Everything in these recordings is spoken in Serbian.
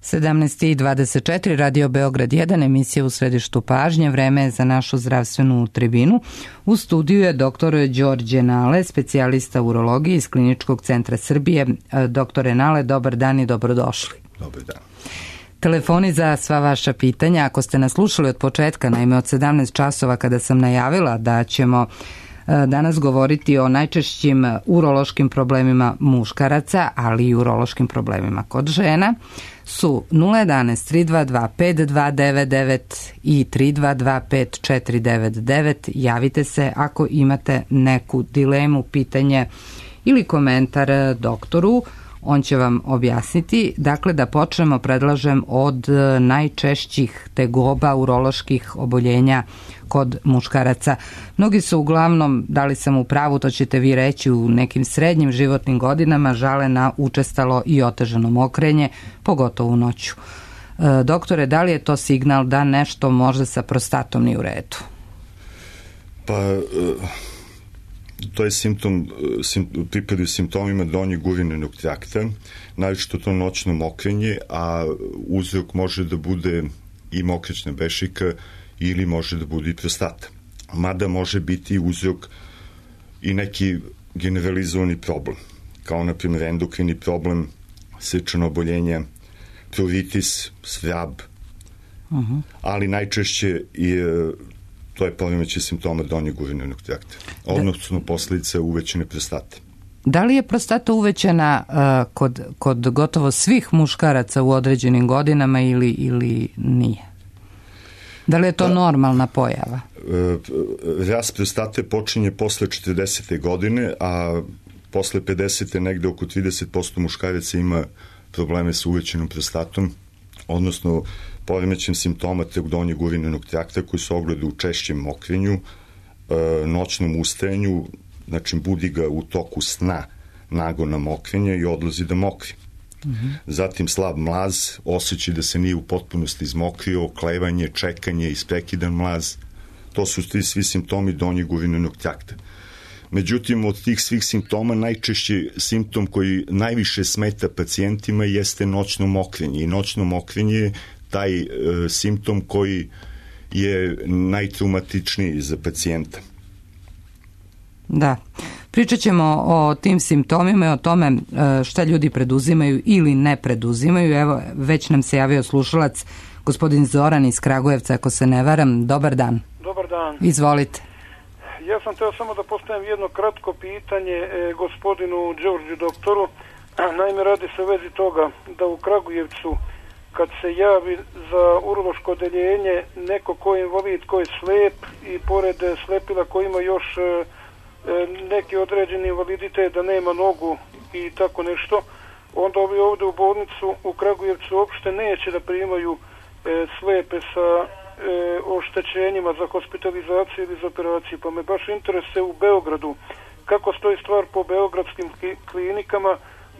17:24, Radio Beograd 1, emisija U središtu pažnje, vreme je za našu zdravstvenu tribinu. U studiju je dr. Đorđe Nale, specijalista urologije iz Kliničkog centra Srbije. Doktore Nale, dobar dan i dobrodošli. Dobar dan. Telefoni za sva vaša pitanja, ako ste nas slušali od početka, naime od 17 časova kada sam najavila da ćemo danas govoriti o najčešćim urološkim problemima muškaraca, ali i urološkim problemima kod žena, su 011 322 5299 i 322 5499. Javite se ako imate neku dilemu, pitanje ili komentar doktoru. On će vam objasniti. Dakle, da počnemo, predlažem od najčešćih tegoba uroloških oboljenja kod muškaraca. Mnogi su uglavnom, da li sam u pravu, to ćete vi reći, u nekim srednjim životnim godinama žale na učestalo i otežano mokrenje, pogotovo u noću. Doktore, da li je to signal da nešto možda sa prostatom nije u redu? Pa, to je pripadaju simptomima donjeg urinarnog trakta, naročito to noćno mokrenje, a uzrok može da bude i mokraćna bešika ili može da bude i prostata. Mada može biti uzrok i neki generalizovani problem, kao na primjer endokrini problem, srčano oboljenje, pruritis, svrab, ali najčešće to je poremećaj simptoma donjeg urinarnog trakta, odnosno posledica uvećane prostate. Da li je prostata uvećana kod gotovo svih muškaraca u određenim godinama ili nije? Da li je to normalna pojava? Rast prostate počinje posle 40. godine, a posle 50. negde oko 30% muškaraca ima probleme sa uvećanom prostatom, odnosno poremećajem simptoma donjeg urinarnog trakta koji se ogleda u češćem mokrenju, noćnom ustajanju, znači budi ga u toku sna nagona mokrenja i odlazi da mokri. Zatim slab mlaz, osjećaj da se nije u potpunosti izmokrio, oklevanje, čekanje, isprekidan mlaz. To su svi simptomi donjeg urinarnog trakta. Međutim, od tih svih simptoma najčešći simptom koji najviše smeta pacijentima jeste noćno mokrenje. I noćno mokrenje je taj simptom koji je najtraumatičniji za pacijenta. Da. Pričat ćemo o tim simptomima i o tome šta ljudi preduzimaju ili ne preduzimaju. Evo, već nam se javio slušalac, gospodin Zoran iz Kragujevca, ako se ne varam. Dobar dan. Dobar dan. Izvolite. Ja sam teo samo da postavim jedno kratko pitanje gospodinu Đorđu doktoru. Naime, radi se u vezi toga da u Kragujevcu kad se javi za urološko odeljenje neko ko je invalid, ko je slep i pored slepila ko ima još neki određeni invaliditet da nema nogu i tako nešto, onda ovi ovdje u bolnicu u Kragujevcu uopšte neće da primaju slepe sa oštećenjima za hospitalizaciju ili za operaciju. Pa me baš interesuje u Beogradu kako stoji stvar po beogradskim klinikama,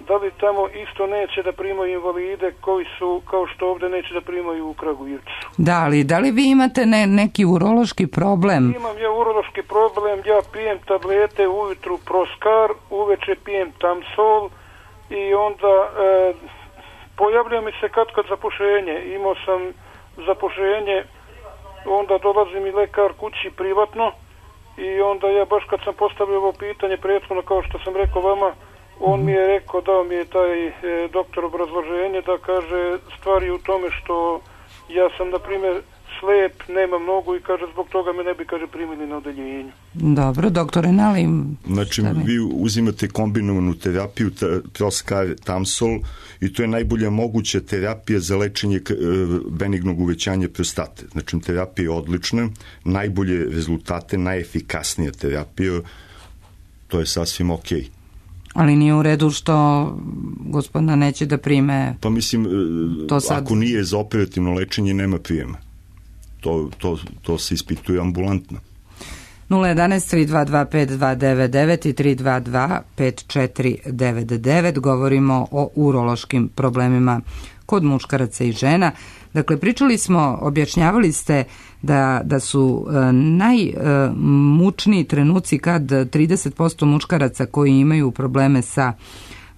da li tamo isto neće da primaju invalide koji su, kao što ovdje neće da primaju u Kragujevcu. Da li vi imate neki urološki problem? Imam ja urološki problem, ja pijem tablete ujutru Proskar, uveče pijem Tamsol i onda pojavlja mi se kad zapušenje. Imao sam zapušenje, onda dolazi mi lekar kući privatno i onda ja baš kad sam postavio ovo pitanje prethodno, kao što sam rekao vama, on mi je rekao, dao mi je taj doktor obrazloženje da kaže stvari u tome što ja sam, na primjer, slep, nemam nogu i kaže zbog toga me ne bi, kaže, primili na odeljenju. Dobro, doktore Nali. Znači, vi uzimate kombinovanu terapiju, Proskar, Tamsol, i to je najbolja moguća terapija za lečenje benignog uvećanja prostate. Znači, terapija je odlična, najbolje rezultate, najefikasnija terapija, to je sasvim okej. Ali nije u redu što gospodina neće da prime. Pa mislim, ako nije za operativno lečenje, nema prijema. To se ispituje ambulantno. 011 322 5299 i 322 5499. Govorimo o urološkim problemima kod muškaraca i žena. Dakle, pričali smo, objašnjavali ste da su najmučniji trenuci kad 30% muškaraca koji imaju probleme sa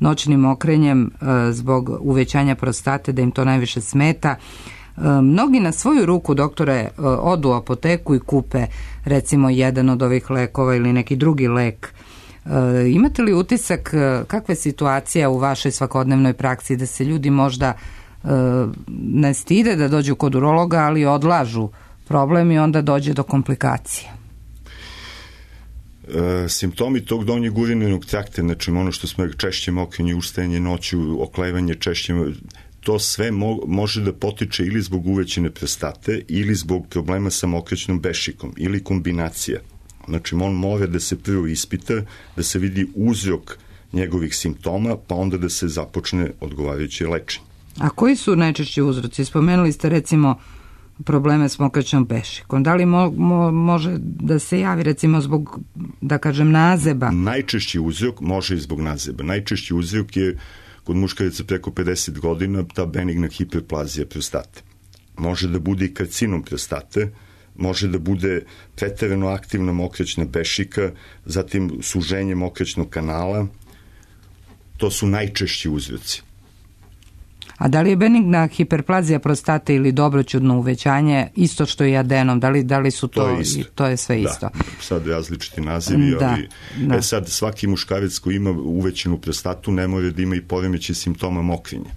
noćnim okrenjem zbog uvećanja prostate, da im to najviše smeta. Mnogi na svoju ruku, doktore, odu u apoteku i kupe recimo jedan od ovih lekova ili neki drugi lek. Imate li utisak kakva je situacija u vašoj svakodnevnoj praksi, da se ljudi možda ne stide da dođu kod urologa, ali odlažu problem i onda dođe do komplikacija? Simptomi tog donjeg urinarnog trakta, znači ono što smo češće mokrenje, ustajanje noću, oklevanje češće, to sve može da potiče ili zbog uvećane prostate ili zbog problema sa mokraćnom bešikom ili kombinacija. Znači on mora da se prvo ispita, da se vidi uzrok njegovih simptoma, pa onda da se započne odgovarajuće lečenje. A koji su najčešći uzroci? Spomenuli ste recimo probleme s mokraćnom bešikom. Da li može da se javi recimo zbog, da kažem, nazeba? Najčešći uzrok može i zbog nazeba. Najčešći uzrok je kod muškaraca preko 50 godina ta benigna hiperplazija prostate. Može da bude i karcinom prostate, može da bude preterano aktivna mokraćna bešika, zatim suženje mokraćnog kanala. To su najčešći uzroci. A da li je benigna hiperplazija prostate ili dobroćudno uvećanje isto što i adenom? Da li su to je sve isto? Da, sad različiti nazivi, ali sad svaki muškarac koji ima uvećenu prostatu ne mora da ima i poremećaj simptoma mokrenja.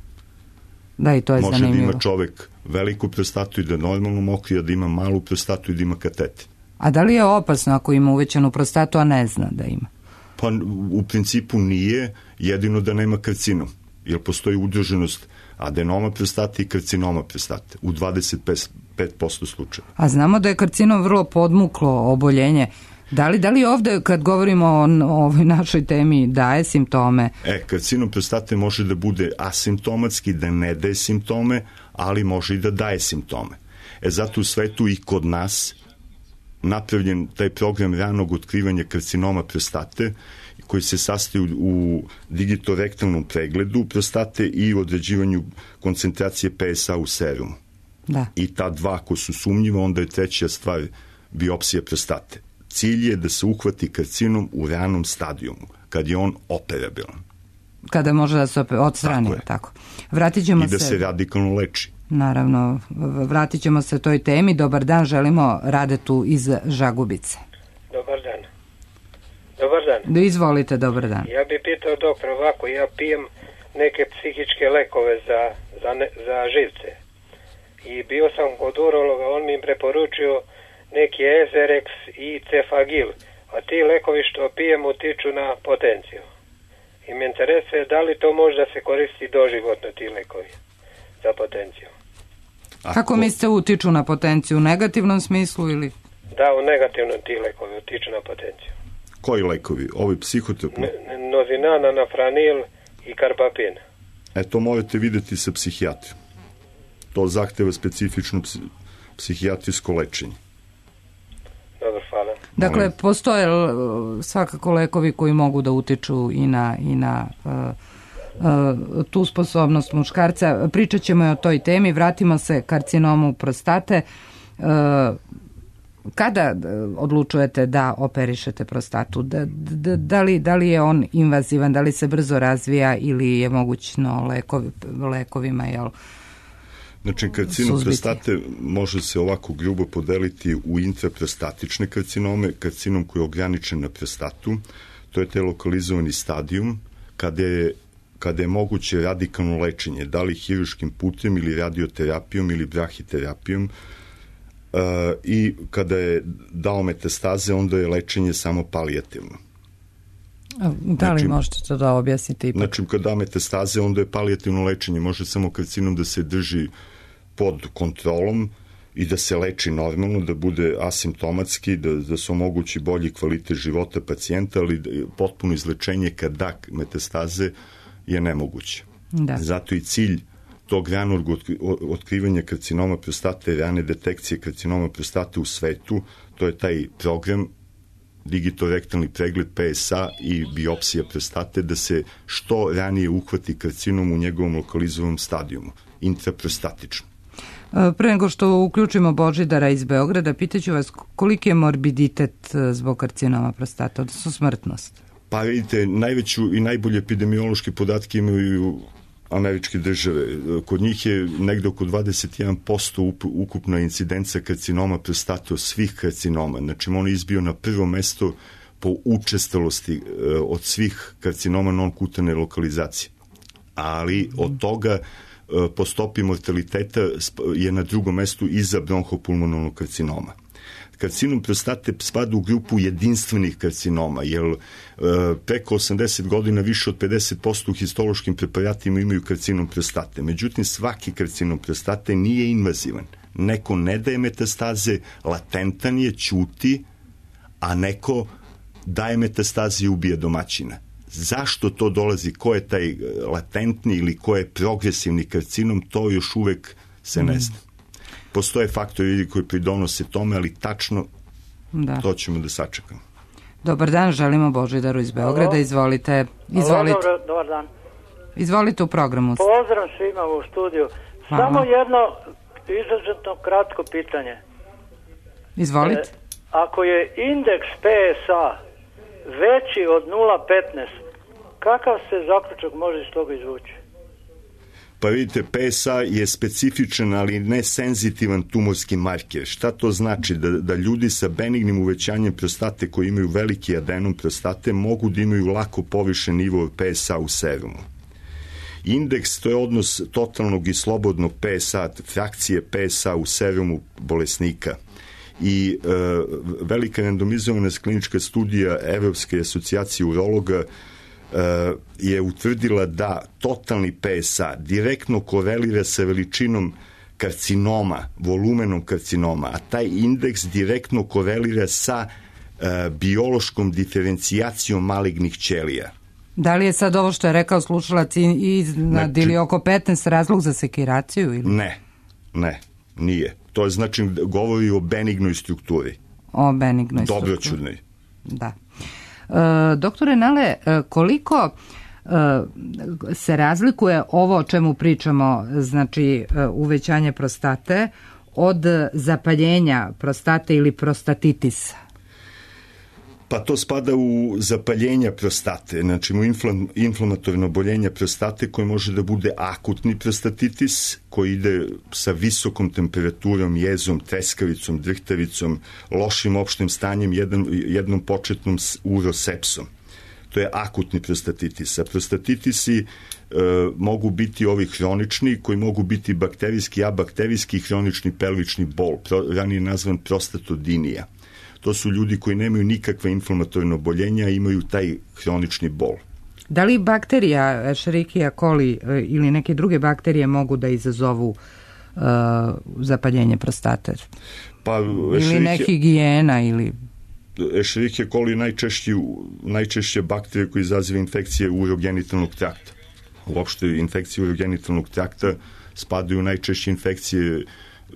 Da, i to je zanimljivo. Može da ima čovek veliku prostatu i da normalno mokri, a da ima malu prostatu i da ima kateter. A da li je opasno ako ima uvećenu prostatu, a ne zna da ima? Pa u principu nije, jedino da nema karcinom, jer postoji udruženost adenoma prostate i karcinoma prostate u 25% slučaja. A znamo da je karcinom vrlo podmuklo oboljenje. Da li ovde, kad govorimo o ovoj našoj temi, daje simptome? Karcinom prostate može da bude asimptomatski, da ne daje simptome, ali može i da daje simptome. Zato u svetu i kod nas napravljen taj program ranog otkrivanja karcinoma prostate, koji se sastoji u digitorektalnom pregledu prostate i određivanju koncentracije PSA u serumu. Da. I ta dva ko su sumnjiva, onda je treća stvar biopsija prostate. Cilj je da se uhvati karcinom u ranom stadijumu, kad je on operabilan. Kada može da se odstrani, tako. Vratit ćemo i da se radikalno leči. Naravno, vratit ćemo se toj temi. Dobar dan, želimo Radetu iz Žagubice. Dobar dan. Dobar dan. Izvolite, dobar dan. Ja bih pitao doktor ovako, ja pijem neke psihičke lekove za živce. I bio sam kod urologa, on mi preporučio neki Ezerex i Cefagil, a ti lekovi što pijem utiču na potenciju. I me interesuje da li to može da se koristi doživotno ti lekovi za potenciju. Kako mislite utiču na potenciju? U negativnom smislu ili? Da, u negativnom ti lekovi utiču na potenciju. Koji lekovi? Ovi psihotropni? Nozinan, anafranil i karbapin. To morate videti sa psihijatrijom. To zahteva specifično psihijatrijsko lečenje. Dobro, hvala. Dakle, postoje svakako lekovi koji mogu da utiču i na tu sposobnost muškarca. Pričat ćemo i o toj temi. Vratimo se karcinomu prostate. Kada odlučujete da operišete prostatu? Da li je on invazivan, da li se brzo razvija ili je mogućno lekovima, jel? Znači, karcinom prostate može se ovako grubo podeliti u intraprostatične karcinome, karcinom koji je ograničen na prostatu, to je taj lokalizovani stadijum, kada je moguće radikalno lečenje, da li hiruškim putem ili radioterapijom ili brahiterapijom, i kada je dao metastaze, onda je lečenje samo palijativno. Da li možete to da objasnite ipak? Znači, kada da metastaze, onda je palijativno lečenje. Može samo karcinom da se drži pod kontrolom i da se leči normalno, da bude asimptomatski, da se omogući bolji kvalitet života pacijenta, ali potpuno izlečenje kad da metastaze je nemoguće. Da. Zato i cilj tog ranog otkrivanja karcinoma prostate, rane detekcije karcinoma prostate u svetu, to je taj program digitorektalni pregled PSA i biopsija prostate, da se što ranije uhvati karcinom u njegovom lokalizovanom stadijumu, intraprostatično. Pre nego što uključimo Božidara iz Beograda, pitaću vas koliki je morbiditet zbog karcinoma prostate, odnosno smrtnost? Pa vidite, najveću i najbolje epidemiološke podatke imaju američke države. Kod njih je negde oko 21% ukupna incidencija karcinoma prostate od svih karcinoma. Znači, on je izbio na prvo mesto po učestalosti od svih karcinoma non-kutane lokalizacije. Ali od toga po stopi mortaliteta je na drugom mestu iza bronhopulmonalnog karcinoma. Karcinom prostate spada u grupu jedinstvenih karcinoma, jer preko 80 godina više od 50% u histološkim preparatima imaju karcinom prostate. Međutim, svaki karcinom prostate nije invazivan. Neko ne daje metastaze, latentan je, ćuti, a neko daje metastaze i ubija domaćina. Zašto to dolazi, ko je taj latentni ili ko je progresivni karcinom, to još uvek se ne zna. Postoje faktori koji pridonose tome, ali tačno to ćemo da sačekamo. Dobar dan, želimo Božidaru iz Beograda. Izvolite. Dobar dan. Izvolite u programu. Pozdrav svima u studiju. Hvala. Samo jedno izuzetno kratko pitanje. Izvolite. Ako je indeks PSA veći od 0,15, kakav se zaključak može iz toga izvući? Pa vidite, PSA je specifičan, ali ne senzitivan tumorski marker. Šta to znači? Da ljudi sa benignim uvećanjem prostate koji imaju veliki adenom prostate mogu da imaju lako povišen nivo PSA u serumu. Indeks, to je odnos totalnog i slobodnog PSA, frakcije PSA u serumu bolesnika. I velika randomizovana klinička studija Evropske asocijacije urologa je utvrdila da totalni PSA direktno korelira sa veličinom karcinoma, volumenom karcinoma, a taj indeks direktno korelira sa biološkom diferencijacijom malignih ćelija. Da li je sad ovo što je rekao slušalac iznad ili oko 15 razlog za sekiraciju? Ili? Ne, nije. To je znači govori o benignoj strukturi. O benignoj strukturi. Dobroćudnoj. Da. Doktore Nale, koliko se razlikuje ovo o čemu pričamo, znači uvećanje prostate, od zapaljenja prostate ili prostatitisa? Pa to spada u zapaljenja prostate, znači u inflamatorno oboljenje prostate koje može da bude akutni prostatitis koji ide sa visokom temperaturom, jezom, treskavicom, drhtavicom, lošim opštim stanjem, jednom početnom urosepsom. To je akutni prostatitis. A prostatitisi mogu biti ovi hronični koji mogu biti bakterijski, abakterijski i hronični pelvični bol, ranije nazvan prostatodinija. To su ljudi koji nemaju nikakve inflamatorne oboljenja, imaju taj hronični bol. Da li bakterija Escherichia coli ili neke druge bakterije mogu da izazovu zapaljenje prostate? Pa, ili nehigijena ili... Escherichia coli je najčešće bakterija koja izaziva infekcije urogenitalnog trakta. Uopšte infekcije urogenitalnog trakta spadaju najčešće infekcije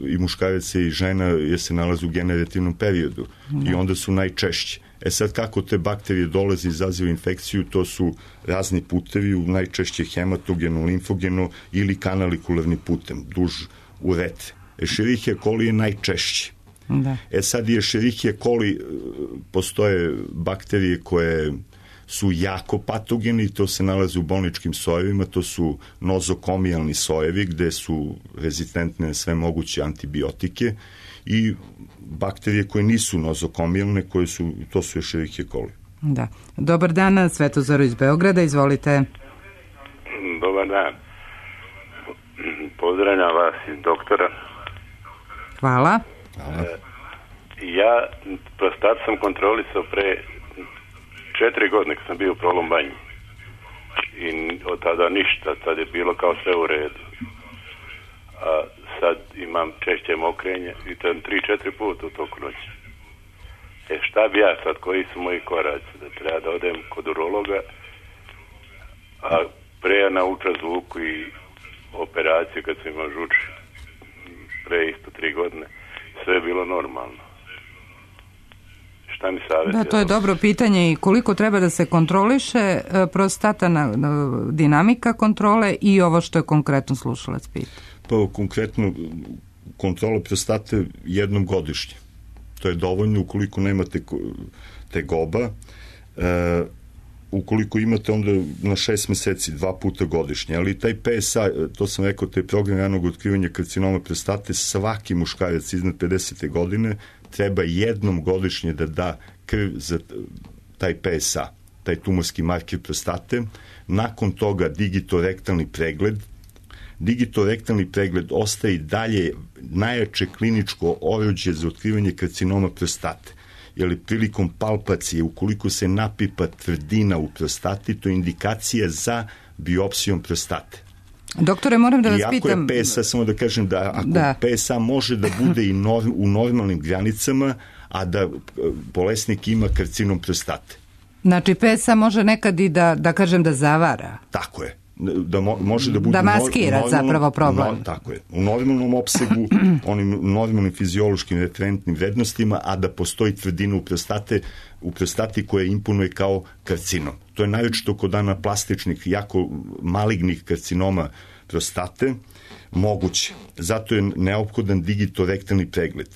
i muškaraca i žena jer se nalaze u generativnom periodu i onda su najčešće. Sad kako te bakterije dolaze i izaziva infekciju, to su razni putevi, najčešće hematogeno, limfogeno ili kanalikularni putem, duž uretre. Escherichia coli je najčešće. Da. Sad i Escherichia coli postoje bakterije koje su jako patogeni i to se nalaze u bolničkim sojevima, to su nozokomijalni sojevi gde su rezistentne na sve moguće antibiotike i bakterije koje nisu nozokomijalne, to su Escherichia coli. Da. Dobar dan, Svetozar iz Beograda, izvolite. Dobar dan. Pozdravljam vas i doktora. Hvala. Ja prostat sam kontrolisao pre 4 godine kad sam bio u Prolom Banji i od tada ništa, tad je bilo kao sve u redu, a sad imam češće mokrenje i to 3-4 puta u toku noći. Šta bi ja sad, koji su moji koraci, da treba da odem kod urologa, a pre ja nauča zvuku i operaciju kad sam imao žuč pre isto 3 godine, sve je bilo normalno. Šta mi savjetuje? Da, to je dobro pitanje i koliko treba da se kontroliše prostata, dinamika kontrole i ovo što je konkretno slušalac pita. Pa konkretno kontrola prostate jednom godišnje. To je dovoljno ukoliko nemate tegoba. ukoliko imate onda na 6 meseci, 2 puta godišnje, ali taj PSA, to sam rekao, taj program ranog otkrivanja karcinoma prostate, svaki muškarac iznad 50. godine treba jednom godišnje da da krv za taj PSA, taj tumorski marker prostate. Nakon toga digitorektalni pregled. Digitorektalni pregled ostaje i dalje najjače kliničko oruđe za otkrivanje karcinoma prostate. Jer prilikom palpacije, ukoliko se napipa tvrdina u prostati, to je indikacija za biopsijom prostate. Doktore, moram da vas pitam... Iako je PSA, samo da kažem da ako PSA može da bude i u normalnim granicama, a da bolesnik ima karcinom prostate. Znači, PSA može nekad i da kažem da zavara. Tako je. Da može da bude... Da maskira zapravo problem. Tako je. U normalnom opsegu, onim normalnim fiziološkim referentnim vrednostima, a da postoji tvrdina u prostati koja imponuje kao karcinom. To je najveće kod anaplastičnih, jako malignih karcinoma prostate moguće. Zato je neophodan digitorektalni pregled.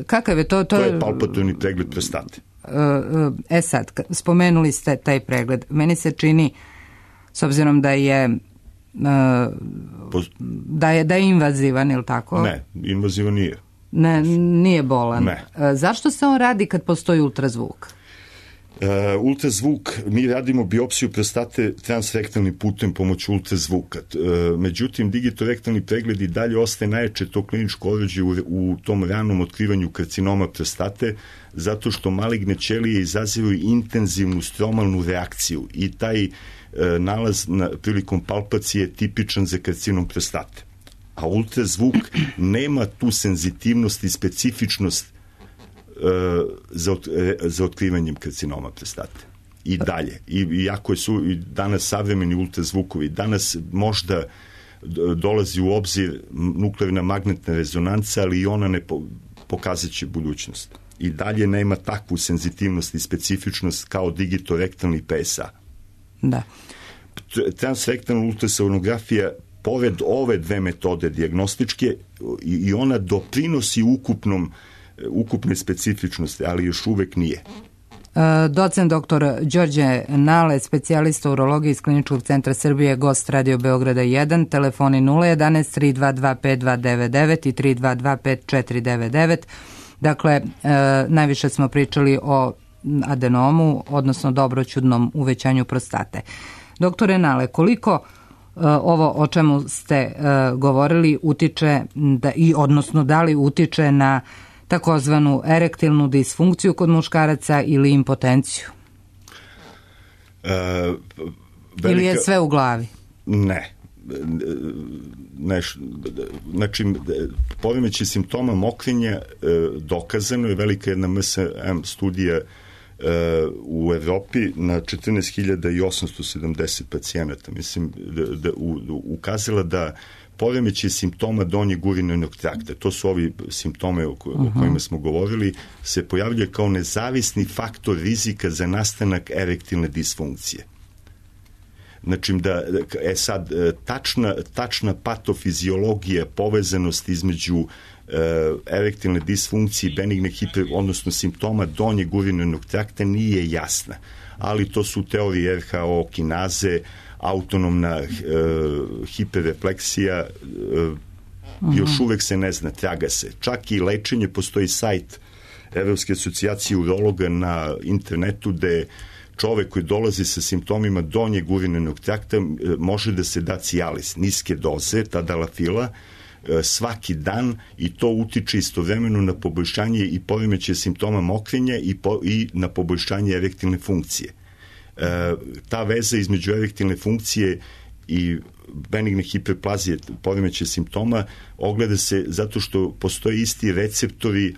Kakav je to? To je palpatorni pregled prostate. Sad, spomenuli ste taj pregled. Meni se čini, s obzirom da je invazivan, ili tako? Ne, invazivan nije. Nije bolan. Ne. Zašto se on radi kad postoji ultrazvuk? Ultrazvuk, mi radimo biopsiju prostate transrektalnim putem pomoću ultrazvuka. Međutim, digitorektalni pregled i dalje ostaje najjače to kliničko oruđe u tom ranom otkrivanju karcinoma prostate, zato što maligne ćelije izazivaju intenzivnu stromalnu reakciju i taj nalaz prilikom palpacije je tipičan za karcinom prostate. A ultrazvuk nema tu senzitivnost i specifičnost za otkrivanjem karcinoma prostate. I dalje. Iako su i danas savremeni ultrazvukovi, danas možda dolazi u obzir nuklearna magnetna rezonanca, ali i ona ne pokazat će budućnost. I dalje nema takvu senzitivnost i specifičnost kao digitorektalni PSA. Da. Transrektalna ultrasonografija, pored ove dve metode dijagnostičke, i ona doprinosi ukupne specifičnosti, ali još uvek nije. Docent dr. Đorđe Nale, specijalista urologije iz Kliničkog centra Srbije, gost Radio Beograda 1, telefoni 011 322 5299 i 322 5499. Dakle, najviše smo pričali o adenomu, odnosno dobroćudnom uvećanju prostate. Doktore Nale, koliko ovo o čemu ste govorili utiče, odnosno da li utiče na takozvanu erektilnu disfunkciju kod muškaraca ili impotenciju? Ili je sve u glavi? Ne. Znači, poremećaj simptoma mokrenja dokazano je, velika jedna MSM studija u Evropi na 14.870 pacijenata. Mislim da ukazala da poremećaj simptoma donjeg urinarnog trakta, to su ovi simptome o kojima smo govorili, se pojavljuje kao nezavisni faktor rizika za nastanak erektilne disfunkcije. Znači, sad, tačna patofiziologija, povezanost između erektilne disfunkcije i benigne odnosno simptoma donjeg urinarnog trakta nije jasna, ali to su teorije RHO kinaze, autonomna hiperrefleksija, još uvek se ne zna, traga se. Čak i lečenje, postoji sajt Evropske asocijacije urologa na internetu gde čovek koji dolazi sa simptomima donjeg urinarnog trakta može da se da Cialis, niske doze, tadalafila, svaki dan, i to utiče istovremeno na poboljšanje i poremećaj simptoma mokrenja i na poboljšanje erektilne funkcije. Ta veza između erektilne funkcije i benigne hiperplazije, poremećaj simptoma, ogleda se zato što postoje isti receptori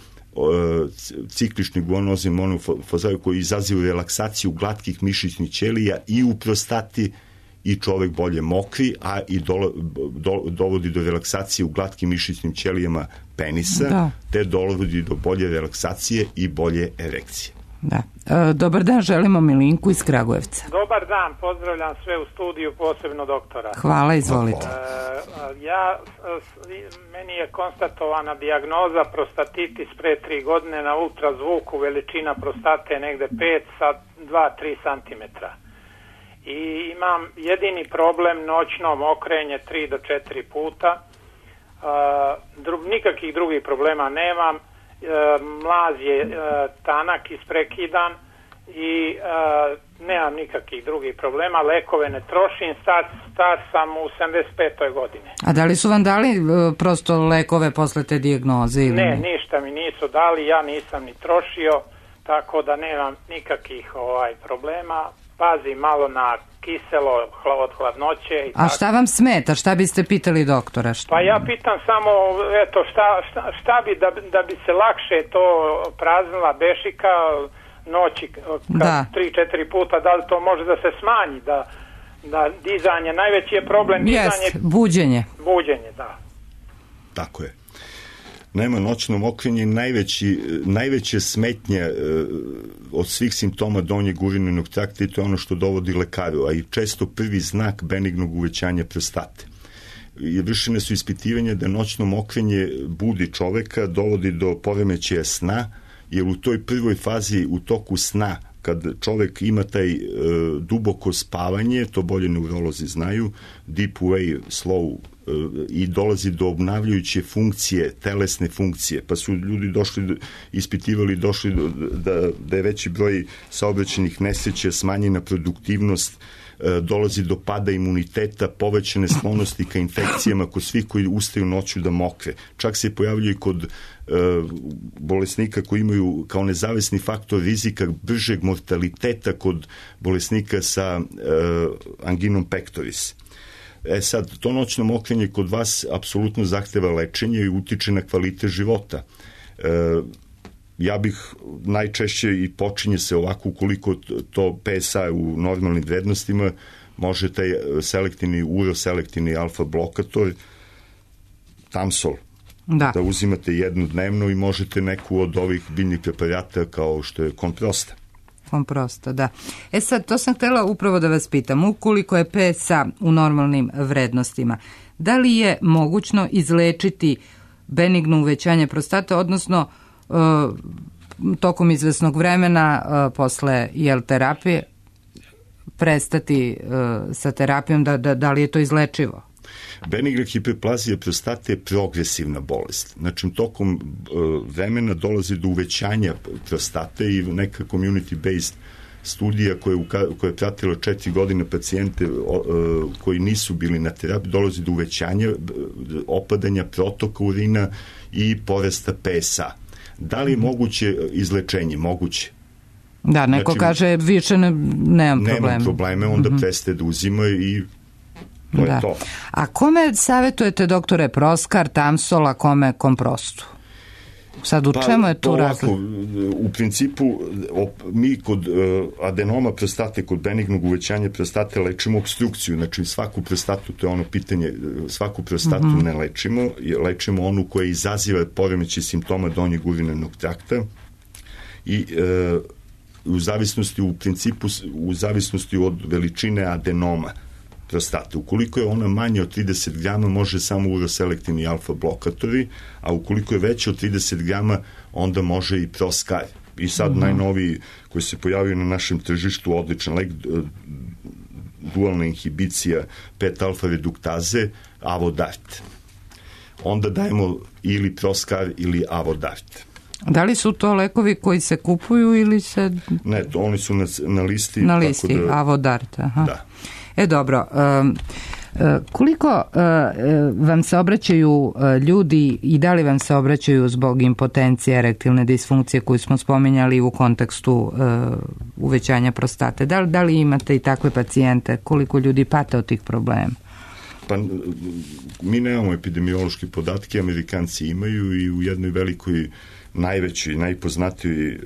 ciklični guanozin monofazaju koji izazivu relaksaciju glatkih mišićnih ćelija i u prostati, i čovek bolje mokri, a i dovodi do relaksacije u glatkim mišićnim ćelijama penisa, te dovodi do bolje relaksacije i bolje erekcije. Da. Dobar dan, želimo Milinku iz Kragujevca. Dobar dan, pozdravljam sve u studiju, posebno doktora. Hvala, izvolite. Meni je konstatovana dijagnoza prostatitis pre 3 godine na ultrazvuku, veličina prostate negde 5 sa 2-3 cm. I imam jedini problem noćno mokrenje 3 do 4 puta. Nikakvih drugih problema nemam. Mlaz je tanak, isprekidan i nemam nikakvih drugih problema. Lekove ne trošim, star sam u 75. godine. A da li su vam dali prosto lekove posle te dijagnoze? Ili ne, ništa mi nisu dali, ja nisam ni trošio, tako da nemam nikakvih problema. Pazim malo na kiselo od hladnoće. A šta vam smeta? Šta biste pitali doktora? Pa ja pitam samo, eto, šta bi da bi se lakše to praznila bešika noći 3-4 puta, da li to može da se smanji, da dizanje, najveći je problem dizanje. Buđenje. Buđenje, da. Tako je. Nema noćno mokrenje, najveće smetnje od svih simptoma donjeg urinarnog trakta i to je ono što dovodi lekaru, a i često prvi znak benignog uvećanja prostate. Vršene su ispitivanja da noćno mokrenje budi čoveka, dovodi do poremećaja sna, jer u toj prvoj fazi, u toku sna, kad čovek ima taj duboko spavanje, to bolje neurolozi znaju, deep wave, slow, i dolazi do obnavljajuće funkcije, telesne funkcije, pa su ljudi ispitivali da je veći broj saobraćajnih nesreća, smanjena produktivnost, dolazi do pada imuniteta, povećane sklonosti ka infekcijama kod svih koji ustaju noću da mokre. Čak se pojavljaju i kod bolesnika koji imaju kao nezavisni faktor rizika bržeg mortaliteta kod bolesnika sa anginom pectoris. Sad, to noćno mokrenje kod vas apsolutno zahteva lečenje i utiče na kvalitet života. Ja bih najčešće i počinje se ovako ukoliko to PSA u normalnim vrednostima, može taj uroselektivni alfa blokator, Tamsol, da uzimate jednu dnevno i možete neku od ovih biljnih preparata kao što je Komprosta. Komprosta, da. Sad, to sam htjela upravo da vas pitam, ukoliko je PSA u normalnim vrednostima, da li je mogućno izlečiti benigno uvećanje prostate, odnosno tokom izvesnog vremena posle terapije prestati sa terapijom, da li je to izlečivo? Benigna hiperplazija prostate je progresivna bolest. Znači, tokom vremena dolazi do uvećanja prostate i neka community-based studija koja je pratila 4 godine pacijente koji nisu bili na terapiji, dolazi do uvećanja, opadanja protoka urina i porasta PSA. Da li je moguće izlečenje? Moguće. Da, neko kaže više nemam probleme, onda prestaje da uzima i to je to. A kome savjetujete, doktore, Proskar, Tamsol, a kome Komprostu? Sad, u čemu je tu razlika? U principu, mi kod adenoma prostate, kod benignog uvećanja prostate lečimo obstrukciju, znači svaku prostatu, to je ono pitanje, svaku prostatu ne lečimo, lečimo onu koja izaziva poremećaj simptoma donjeg urinarnog trakta i u zavisnosti od veličine adenoma prostate. Ukoliko je ona manja od 30 grama, može samo uroselektivni alfa blokatori, a ukoliko je veća od 30 grama, onda može i Proskar. I sad najnoviji koji se pojavio na našem tržištu, odličan lek, dualna inhibicija 5-alfa reduktaze, Avodart. Onda dajemo ili Proskar ili Avodart. Da li su to lekovi koji se kupuju ili se... Ne, oni su na listi. Na listi, Avodart, aha. Da. Dobro, koliko vam se obraćaju ljudi i da li vam se obraćaju zbog impotencije, erektilne disfunkcije koju smo spominjali u kontekstu uvećanja prostate? Da li imate i takve pacijente? Koliko ljudi pate od tih problema? Pa mi nemamo epidemiološke podatke, Amerikanci imaju i u jednoj velikoj najvećoj, najpoznatijoj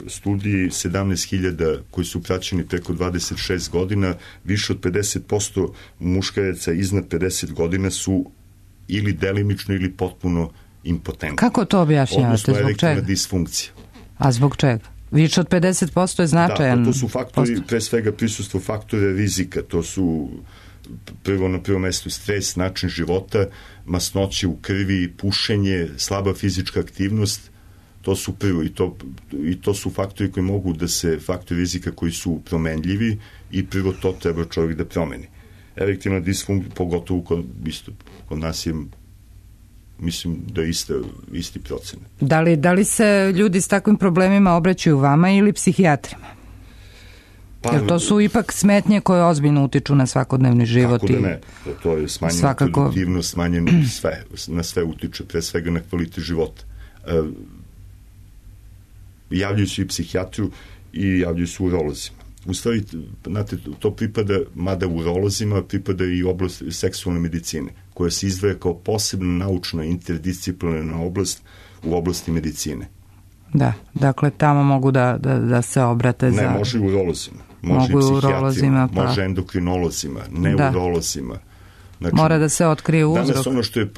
studiji 17.000 koji su praćeni preko 26 godina, više od 50% muškaraca iznad 50 godina su ili delimično ili potpuno impotentni. Kako to objašnjavate? Odnosno zbog čega? Disfunkcija. A zbog čega? Više od 50% je značajan. Da, to su faktori, pre svega prisustvo faktora rizika, to su na prvom mestu stres, način života, masnoće u krvi, pušenje, slaba fizička aktivnost, to su prvo i to su faktori koji mogu da se, faktori rizika koji su promenljivi i prvo to treba čovjek da promeni. Erektilna disfunkcija, pogotovo kod nas je, mislim da je isti procenat. Da li se ljudi s takvim problemima obraćaju vama ili psihijatrima? Jer to su ipak smetnje koje ozbiljno utiču na svakodnevni život. Kako da ne, to je smanjena produktivnost, smanjeno sve, na sve utiče, pre svega na kvalitet života. Javljaju se i psihijatru i javljaju se urolozima. U stvari, znate, to pripada, mada urolozima, pripada i oblast seksualne medicine, koja se izdvaja kao posebna naučna interdisciplinarna oblast u oblasti medicine. Da, dakle, tamo mogu da se obrate za... Ne, može i urolozima, može i psihijatrima, može endokrinolozima, neurolozima. Znači, mora da se otkrije uzrok. Danas ono što je,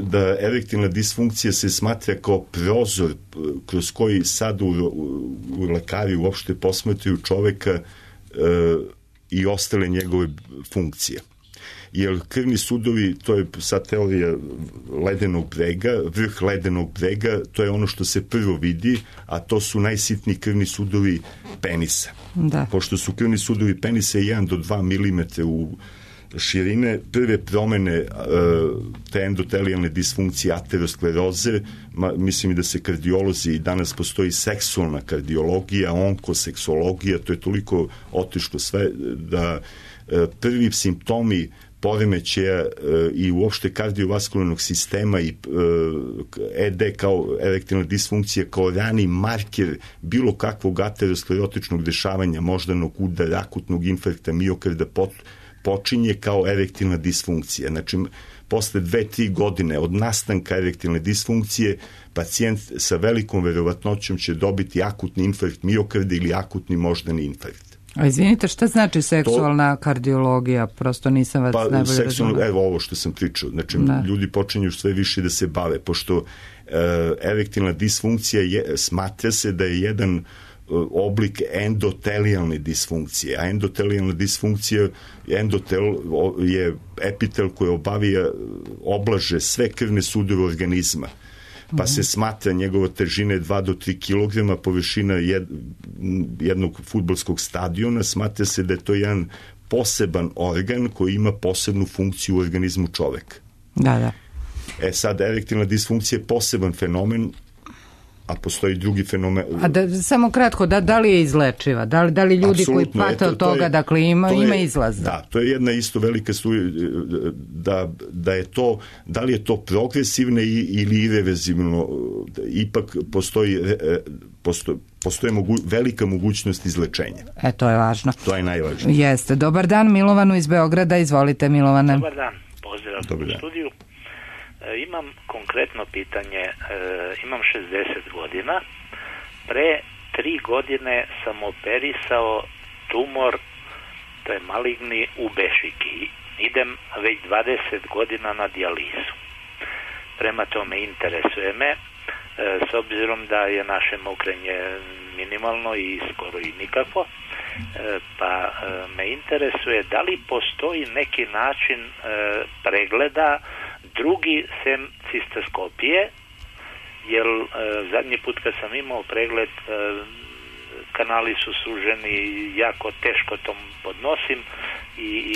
da erektilna disfunkcija se smatra kao prozor kroz koji sad u lekari uopšte posmatraju čoveka i ostale njegove funkcije. Jer krvni sudovi, to je sad teorija ledenog brega, vrh ledenog brega, to je ono što se prvo vidi, a to su najsitniji krvni sudovi penisa. Da. Pošto su krvni sudovi penisa 1 do 2 mm u širine, prve promene te endotelijalne disfunkcije, ateroskleroze, mislim i da se kardiolozi, danas postoji seksualna kardiologija, onkoseksologija, to je toliko otišlo sve da prvi simptomi poremećaja i uopšte kardiovaskularnog sistema i ED kao erektilna disfunkcija kao rani marker bilo kakvog aterosklerotičnog dešavanja, moždanog udara, akutnog infarkta miokarda počinje kao erektilna disfunkcija. Znači, posle 2-3 godine od nastanka erektilne disfunkcije, pacijent sa velikom verovatnoćom će dobiti akutni infarkt miokarda ili akutni moždani infarkt. A izvinite, šta znači seksualna kardiologija? Prosto nisam vas najbolje razumela. Evo ovo što sam pričao. Znači, ljudi počinju sve više da se bave, pošto erektilna disfunkcija smatra se da je jedan oblik endotelijalne disfunkcije, a endotelijalna disfunkcija, endotel je epitel koji oblaže sve krvne sudove organizma, pa se smatra njegova težina 2 do 3 kg, površina jednog fudbalskog stadiona, smatra se da je to jedan poseban organ koji ima posebnu funkciju u organizmu čoveka. Da. Sad, erektilna disfunkcija je poseban fenomen, a postoji drugi fenomen. Samo kratko, da li je izlečiva? Da li ljudi koji pate od toga, dakle, ima izlaz? Da, to je jedna isto velika studija, da je to, da li je to progresivno ili irreverzivno, ipak postoji velika mogućnost izlečenja. To je važno. To je najvažnije. Jeste. Dobar dan, Milovanu iz Beograda, izvolite, Milovane. Dobar dan, pozdrav u studiju. Imam konkretno pitanje, imam 60 godina, pre 3 godine sam operisao tumor, to je maligni u bešiki, idem već 20 godina na dijalizu. Prema tome interesuje me, s obzirom da je naše mokrenje minimalno i skoro i nikako, pa me interesuje da li postoji neki način pregleda drugi sem cistoskopije, jer zadnji put kad sam imao pregled kanali su suženi, jako teško to podnosim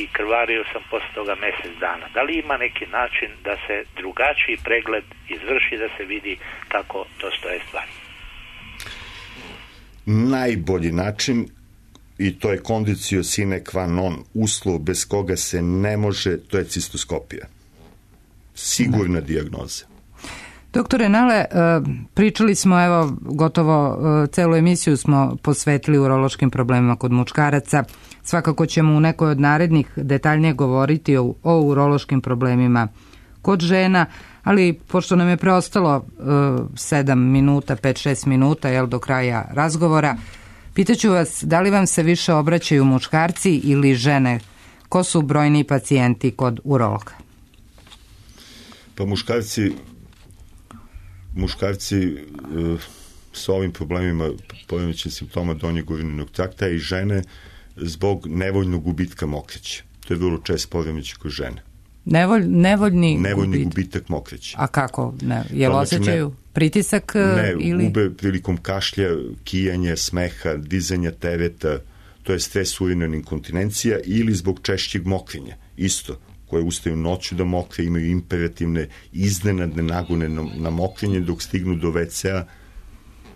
i krvario sam posle toga mjesec dana. Da li ima neki način da se drugačiji pregled izvrši, da se vidi kako to stoje stvari? Najbolji način, i to je condicio sine qua non, uslov bez koga se ne može, to je cistoskopija. Sigurna dijagnoza. Doktore Nale, pričali smo, evo, gotovo celu emisiju smo posvetili urološkim problemima kod muškaraca. Svakako ćemo u nekoj od narednih detaljnije govoriti o urološkim problemima kod žena, ali pošto nam je preostalo 7 minuta, 5-6 minuta, do kraja razgovora, pitaću vas, da li vam se više obraćaju muškarci ili žene? Ko su brojni pacijenti kod urologa? Pa muškarci sa ovim problemima poremećaja simptoma donjeg urinarnog trakta i žene zbog nevoljnog gubitka mokraće. To je vrlo čest poremećaj kod žene. Nevoljni gubitak mokraće. A kako? Jel osjećaju pritisak? Ne, gube prilikom kašlja, kijanja, smeha, dizanja tereta, to je stres urinarna inkontinencija, ili zbog češćeg mokrenja. Isto, koje ustaju noću da mokre, imaju imperativne iznenadne nagone na mokrenje, dok stignu do WC-a,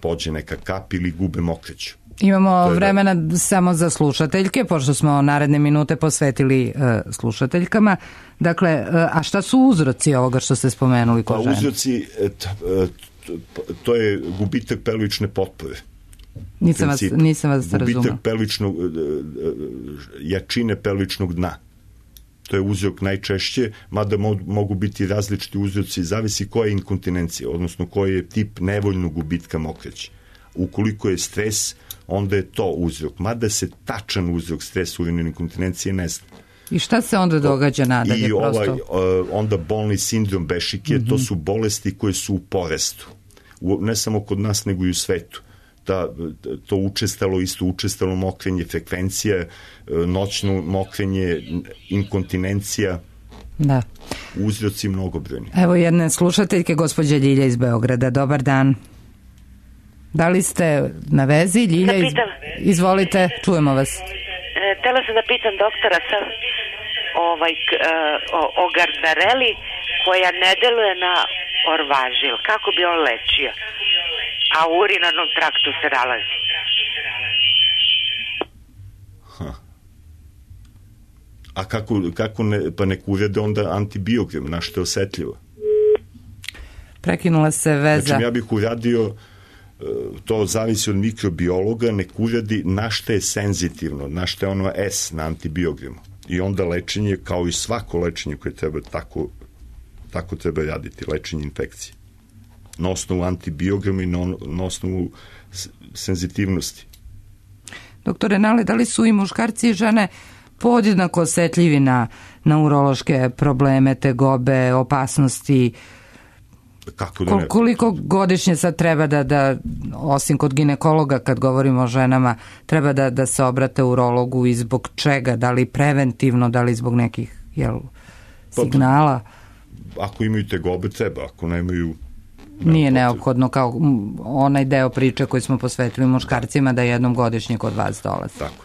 pođe neka kap ili gube mokraću. Imamo vremena samo za slušateljke, pošto smo naredne minute posvetili slušateljkama. Dakle, a šta su uzroci ovoga što ste spomenuli kod žene? Uzroci, to je gubitak pelvične potpore. Nisam vas razumela. Gubitak jačine pelvičnog dna. To je uzrok najčešće, mada mogu biti različiti uzroci, zavisi koja je inkontinencija, odnosno koji je tip nevoljnog gubitka mokraće. Ukoliko je stres, onda je to uzrok. Mada se tačan uzrok stres urinarne inkontinencije ne zna. I šta se onda događa nadalje? Onda bolni sindrom bešike, to su bolesti koje su u porastu. Ne samo kod nas, nego i u svetu. To učestalo mokrenje, frekvencija, noćno mokrenje, inkontinencija, da. Uzroci mnogobrojni. Evo jedne slušateljke, gospođa Ljilja iz Beograda. Dobar dan. Da li ste na vezi? Ljilja, izvolite, čujemo vas. Htela sam da pitam doktora o Gardareli koja ne deluje na orvažil. Kako bi on lečio? A u urinarnom traktu se nalazi. A kako ne, pa nek uvede onda antibiogram, na što je osetljivo. Prekinula se veza. Znači, ja bih uradio, to zavisi od mikrobiologa, nek uradi na što je senzitivno, na što je ono S na antibiogramu. I onda lečenje, kao i svako lečenje koje treba tako treba raditi, lečenje infekcije. Na osnovu antibiograma i na osnovu senzitivnosti. Doktore Nale, da li su i muškarci i žene podjednako osetljivi na urološke probleme, tegobe, opasnosti? Kako da ne? Koliko godišnje sad treba da osim kod ginekologa, kad govorimo o ženama, treba da se obrate urologu i zbog čega? Da li preventivno, da li zbog nekih signala? Ako imaju tegobe, treba. Ako nemaju... Nije neophodno, kao onaj deo priče koji smo posvetili muškarcima, da jednom godišnje kod vas dolaze. Tako.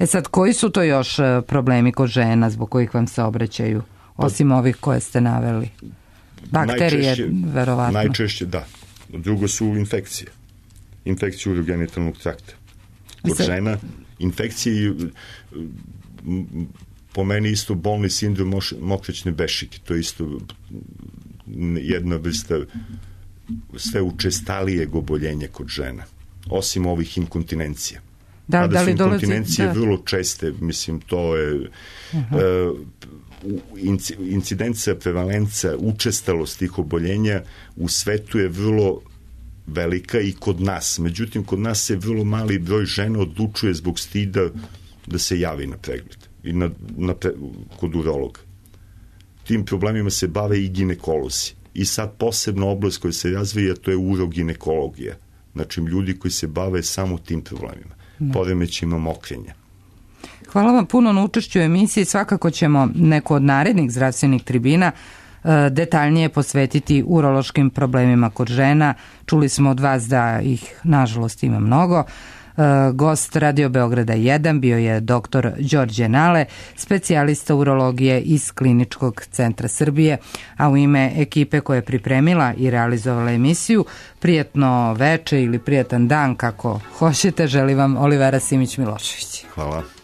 Sad, koji su to još problemi kod žena zbog kojih vam se obraćaju, osim ovih koje ste naveli? Bakterije, verovatno. Najčešće, da. Drugo su infekcije. Infekcije urogenitalnog trakta. Kod žena, infekcije po meni isto bolni sindrom mokraćne bešike. To je isto jedna vrsta sve učestalijeg oboljenja kod žena. Osim ovih inkontinencija. Da li inkontinencije vrlo česte, mislim, to je incidencija, prevalenca, učestalost tih oboljenja u svetu je vrlo velika i kod nas. Međutim, kod nas se vrlo mali broj žena odlučuje zbog stida da se javi na pregled i kod urologa. Tim problemima se bave i ginekolozi. I sad posebna oblast koja se razvija, to je uroginekologija. Znači, ljudi koji se bave samo tim problemima. Poremećajima mokrenja. Hvala vam puno na učešću u emisiji. Svakako ćemo neku od narednih zdravstvenih tribina detaljnije posvetiti urološkim problemima kod žena. Čuli smo od vas da ih, nažalost, ima mnogo. Gost Radio Beograda 1 bio je dr. Đorđe Nale, specijalista urologije iz Kliničkog centra Srbije, a u ime ekipe koja je pripremila i realizovala emisiju, prijatno veče ili prijatan dan, kako hoćete, želim vam Olivera Simić-Milošević. Hvala.